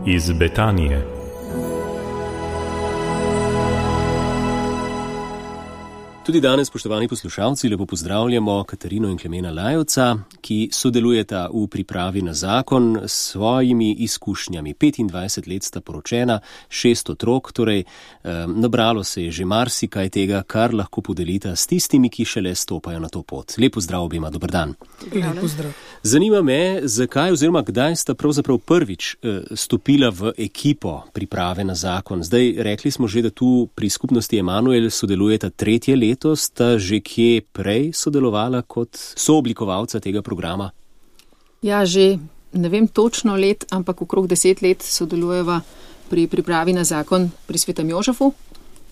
iz Betanije. Tudi danes, spoštovani poslušalci, lepo pozdravljamo Katarino in Klemena Lajovca, ki sodelujeta v pripravi na zakon s svojimi izkušnjami. 25 let sta poročena, 6 otrok, torej nabralo se je že marsikaj tega, kar lahko podelita s tistimi, ki šele stopajo na to pot. Lep pozdrav obima, dober dan. Lep pozdrav. Zanima me, zakaj oziroma kdaj sta pravzaprav prvič stopila v ekipo priprave na zakon. Zdaj, rekli smo že, da tu pri skupnosti Emanuel sodelujeta 3. leto. Sta že kje prej sodelovala kot sooblikovalca tega programa? Ja, že ne vem točno let, ampak okrog 10 let sodelujeva pri pripravi na zakon pri Svetem Jožefu,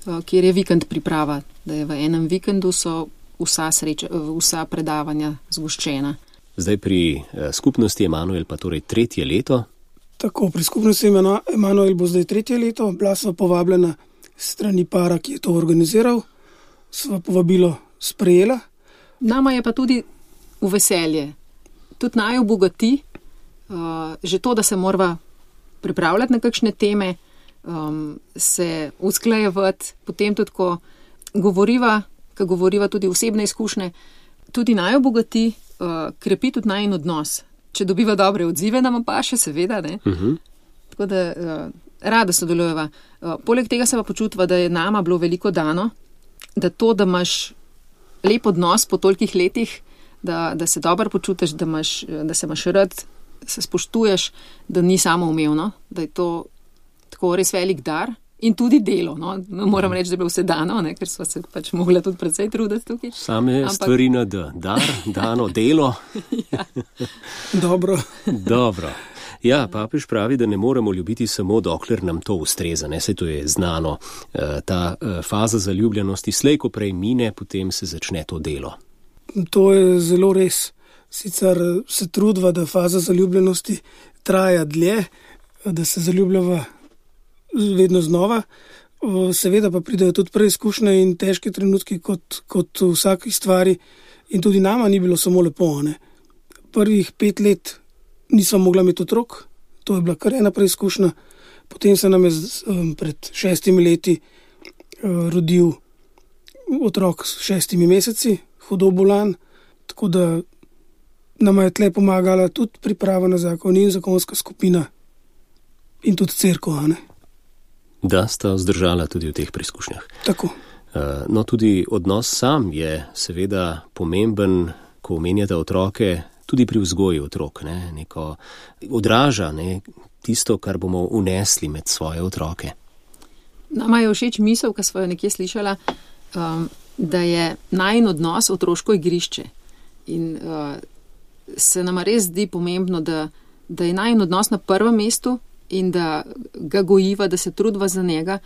kjer je vikend priprava, da je v enem vikendu so vsa predavanja zgoščena. Zdaj pri skupnosti Emanuel pa torej 3. leto? Tako, pri skupnosti Emanuel bo zdaj 3. leto, bila sva povabljena strani para, ki je to organiziral. Sva povabilo sprejela. Nama je pa tudi v veselje. Tudi naj obogati, že to, da se morava pripravljati na kakšne teme, se usklajevati, potem tudi, ko govoriva tudi osebne izkušnje, tudi naj obogati, krepi tudi najin odnos. Če dobiva dobre odzive, nama pa še seveda, ne? Tako da rada sodelujeva. Poleg tega se pa počutiva, da je nama bilo veliko dano, da to, da imaš lep odnos po tolikih letih, da se dobro počutiš, da se imaš rad, se spoštuješ, da ni samoumevno, da je to tako res velik dar in tudi delo. No? Moram reči, da je bilo vse dano, ne? Ker sva se pač mogla tudi precej truditi tukaj. Same stvari na dar, dano, delo. Ja. Dobro. Ja, papež pravi, da ne moremo ljubiti samo dokler nam to ustreza, ne, saj to je znano. Ta faza zaljubljenosti slej, ko prej mine, potem se začne to delo. To je zelo res. Sicer se trudva, da faza zaljubljenosti traja dlje, da se zaljubljava vedno znova. Seveda pa pridejo tudi preizkušnje in težke trenutki kot v vsaki stvari. In tudi nama ni bilo samo lepo, ne. Prvih 5 let nisva mogla imeti otrok, to je bila kar ena preizkušnja. Potem se nam je pred 6 leti rodil otrok s 6 meseci, hudo bolan, tako da nama je tle pomagala tudi priprava na zakon in zakonska skupina in tudi cerkev, ne. Da sta vzdržala tudi v teh preizkušnjah. Tako. No, tudi odnos sam je seveda pomemben, ko omenjata otroke, tudi pri vzgoji otrok, ne, neko odraža, ne, tisto, kar bomo unesli med svoje otroke. Nama je všeč misel, ki sva jo nekje slišala, da je najin odnos otroško igrišče. In se nama res zdi pomembno, da je najin odnos na prvem mestu in da ga gojiva, da se trudva za njega,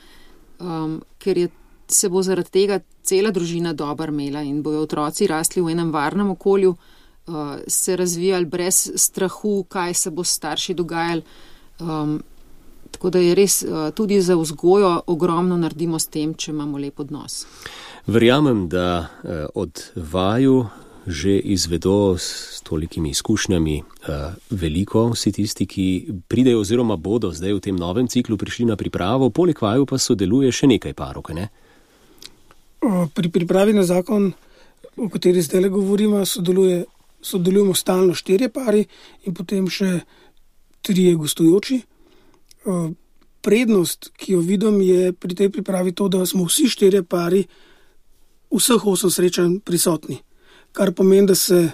ker se bo zaradi tega cela družina dobro imela in bojo otroci rasli v enem varnem okolju, se razvijali brez strahu, kaj se bo s starši dogajali. Tako da je res tudi za vzgojo ogromno naredimo s tem, če imamo lep odnos. Verjamem, da od vaju že izvedo s tolikimi izkušnjami veliko vsi tisti, ki pridejo oziroma bodo zdaj v tem novem ciklu prišli na pripravo, poleg vaju pa sodeluje še nekaj parov, ne? Pri pripravi na zakon, o kateri zdaj govorimo, sodelujemo stalno 4 pari in potem še 3 gostujoči. Prednost, ki jo vidim, je pri tej pripravi to, da smo vsi 4 pari vseh 8 srečanj prisotni. Kar pomeni, da se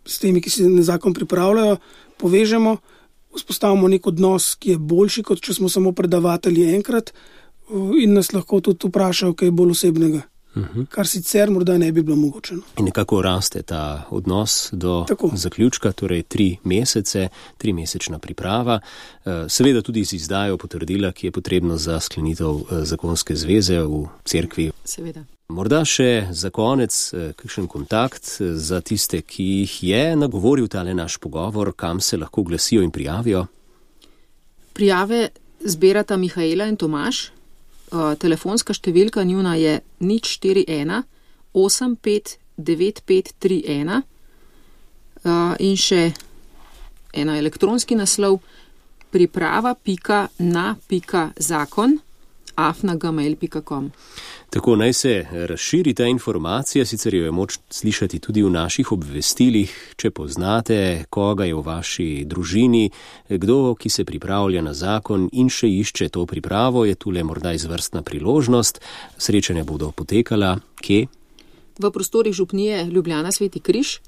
s temi, ki se na zakon pripravljajo, povežemo, vzpostavimo nek odnos, ki je boljši, kot če smo samo predavatelji enkrat in nas lahko tudi vprašajo kaj bolj osebnega. Kar sicer morda ne bi bilo mogoče. In nekako raste ta odnos do zaključka, torej 3 mesece, 3-mesečna priprava, seveda tudi z izdajo potrdila, ki je potrebno za sklenitev zakonske zveze v cerkvi. Seveda. Morda še za konec kakšen kontakt za tiste, ki jih je nagovoril tale naš pogovor, kam se lahko glasijo in prijavijo? Prijave zbirata Mihaela in Tomaž. Telefonska številka njuna je 041 85 9531 in še ena elektronski naslov priprava.na.zakon@gmail.com. Tako naj se razširi ta informacija, sicer jo je moč slišati tudi v naših obvestilih, če poznate, koga je v vaši družini, kdo, ki se pripravlja na zakon in še išče to pripravo, je tule morda izvrstna priložnost. Srečanja bodo potekala kje? V prostorih župnije Ljubljana Sveti Križ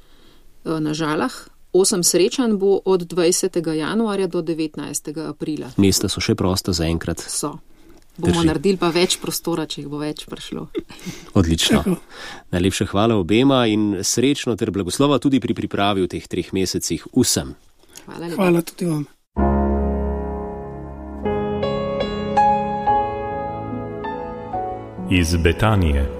na Žalah. 8 srečanj bo od 20. januarja do 19. aprila. Mesta so še prosta zaenkrat? So. Bomo naredili pa več prostora, če jih bo več prišlo. Odlično. Najlepša hvala obema in srečno ter blagoslova tudi pri pripravi v teh 3 mesecih vsem. Hvala tudi vam. Iz Betanije.